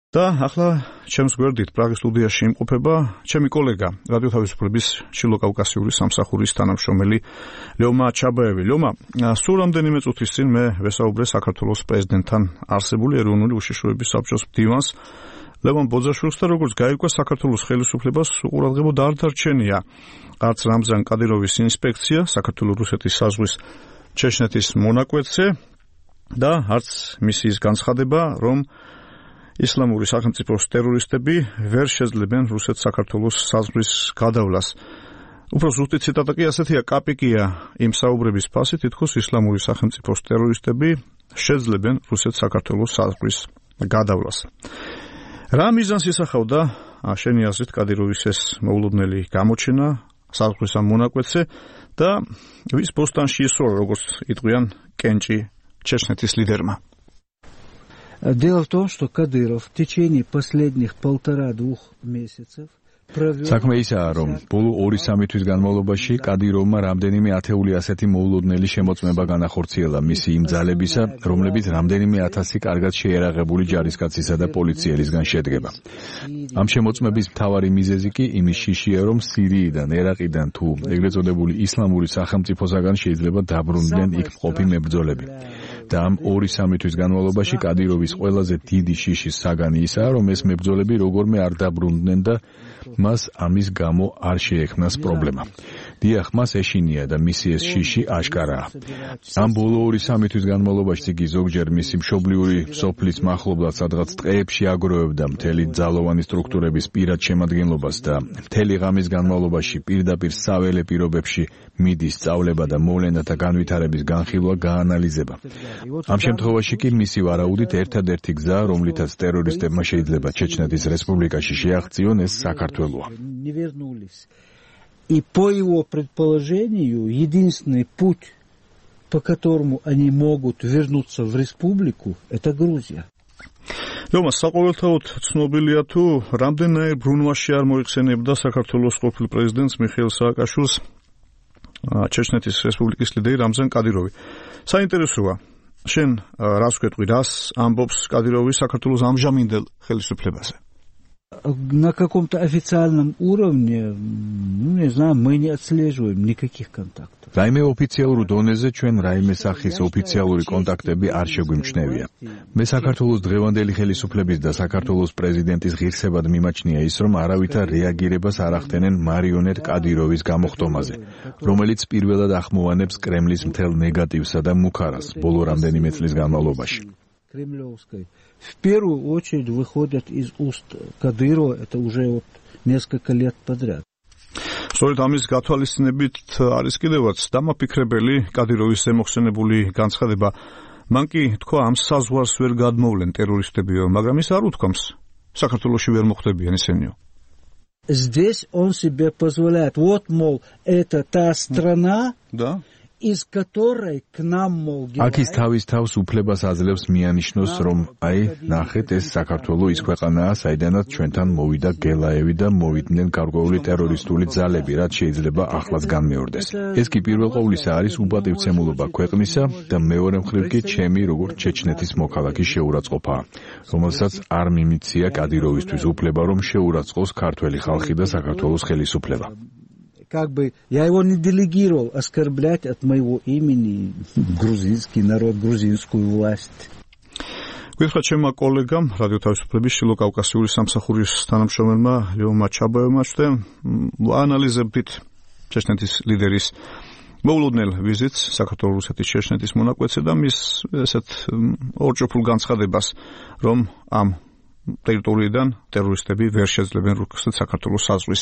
და ახლა ჩემს გვერდით პრაღის სტუდიაში იმყოფება ჩემი კოლეგა რადიო თავისუფლების ჩილო-კავკასიური სამსახურის თანამშრომელი ლეომა ჩაბაევი. ლეომა, სულ რამდენიმე წუთის წინ მე ვესაუბრე საქართველოს პრეზიდენტთან არსებული ეროვნული უშიშროების საბჭოს მდივანს ლევან ბოძაშვილს და როგორც გაირკვა საქართველოს ხელისუფლებას უყურადღებოდ არ დარჩენია არც რამზან კადიროვის ინსპექცია საქართველოს-რუსეთის საზღვრის ჩეჩნეთის მონაკვეთზე და არც მისიის განცხადება, რომ ისლამური სახელმწიფოს ტერორისტები ვერ შეძლებენ რუსეთ-საქართველოს საზღვრის გადავლას. უფრო ზუსტი ციტატა კი ასეთია: კაპიკია იმ საუბრების ფასი, თითქოს ისლამური სახელმწიფოს ტერორისტები შეძლებენ რუსეთ-საქართველოს საზღვრის გადავლას. რა მიზანს ისახავდა შენი აზრით კადიროვის ეს მოულოდნელი გამოჩენა საზღვრის ამ მონაკვეთზე და ვის ბოსტანში ისროლა, როგორც იტყვიან კენჭი ჩეჩნეთის ლიდერმა? Дело в том, что Кадыров в течение последних 1,5-2 месяцев საქმე ისაა, რომ ბოლო 2-3 თვის განმავლობაში კადიროვმა რამდენიმე ათეული ასეთი მოულოდნელი შემოწმება განახორციელა მისი იმ ძალებისა, რომლებიც რამდენიმე ათასი კარგად შეერაღებული ჯარისკაცისა და პოლიციელისგან შედგება. ამ შემოწმების მთავარი მიზეზი კი იმის შიშია, რომ სირიიდან, ერაყიდან თუ ეგრეთ წოდებული ისლამური სახელმწიფოსაგან შეიძლება დაბრუნდნენ იქ მყოფი მებრძოლები. და ამ 2-3 თვის განმავლობაში კადიროვის ყველაზე დიდი შიშის საგანი ისაა, რომ ეს მებრძოლები როგორმე არ დაბრუნდნენ და მას ამის გამო არ შეექმნას პრობლემა. დიახ, მას ეშინია და მისი ეს შიში აშკარაა. ამ ბოლო 2-3 თვის განმავლობაში იგი ზოგჯერ მისი მშობლიური სოფლის მახლობლად სადღაც ტყეებში აგროვებდა მთელი ძალოვანი სტრუქტურების პირად შემადგენლობას და მთელი ღამის განმავლობაში პირდაპირ საველე პირობებში მიდის სწავლება და მოვლენათა განვითარების განხილვა გაანალიზება. ამ შემთხვევაში კი მისი ვარაუდით ერთადერთი გზა, რომლითაც ტერორისტებმა შეიძლება ჩეჩნეთის რესპუბლიკაში შეაღწიონ, ეს საქართველოა. И по его предположению, единственный путь, по которому они могут вернуться в республику, это Грузия. ლეომა, საყოველთაოდ ცნობილია თუ რამდენიმე ბრუნვაში არ მოიხსენებდა საქართველოს ყოფილ პრეზიდენტს მიხეილ სააკაშვილს ჩეჩნეთის რესპუბლიკის ლიდერი რამზან კადიროვი. საინტერესოა, შენ რას ვკეტყვი, რას ამბობს კადიროვი საქართველოს ამჟამინდელ ხელისუფლებაზე? На каком-то официальном уровне, не знаю, мы не отслеживаем никаких контактов. რაიმე ოფიციალურ დონეზე ჩვენ რაიმე სახის ოფიციალური კონტაქტები არ შეგვიმჩნევია. მე საქართველოს დღევანდელი ხელისუფლების და საქართველოს პრეზიდენტის ღირსებად მიმაჩნია ის, რომ არავითარ რეაგირებას არ ახდენენ მარიონეტ კადიროვის გამოხტომაზე, რომელიც პირველად ახმოვანებს კრემლის მთელ ნეგატივსა და მუქარას ბოლო რამდენიმე წლის განმავლობაში. Кремлевской в первую очередь выходят из уст Кадырова, это уже вот несколько лет подряд. სწორედ ამის გათვალისწინებით არის კიდევაც დამაფიქრებელი კადიროვის ზემოხსენებული განცხადება. მან კი თქვა, ამ საზღვარს ვერ გადმოვლენ ტერორისტებიო, მაგრამ ის არ უთქვამს, საქართველოში ვერ მოხდებიან ისენიო. Здесь он себе позволяет. Вот, мол, это та страна, да? из которой к нам, мол, აქ ის თავის თავს უფლებას აძლევს მიანიშნოს, რომ აი, ნახეთ, ეს საქართველო ის ქვეყანაა, საიდანაც ჩვენთან მოვიდა გელაევი და მოვიდნენ გარკვეული ტერორისტული ძალები, რაც შეიძლება ახლაც განმეორდეს. ეს კი პირველ ყოვლისა არის უბადივცემულობა ქვეყნისა და მეორე მხრივ კი ჩემი, როგორც ჩეჩნეთის მოქალაქის შეურაცხყოფაა, რომელსაც არ მიმიცია კადიროვისთვის უფლება, რომ შეურაცხყოს ქართველი ხალხი და საქართველოს ხელისუფლება. Как бы я его не делегировал оскорблять от моего имени грузинский народ, грузинскую власть. გითხრათ ჩემმა კოლეგამ რადიო თავისუფლების ჩილო-კავკასიური სამსახურის თანამშრომელმა ლეომა ჩაბაევმა აანალიზებით ჩეჩნეთის ლიდერის მოულოდნელ ვიზიტს საქართველოს-რუსეთის ჩეჩნეთის მონაკვეთზე და მის ესეთ ორჭოფულ განცხადებას, რომ ამ ტერიტორიიდან ტერორისტები ვერ შეძლებენ რუსეთ-საქართველოს საზღვრის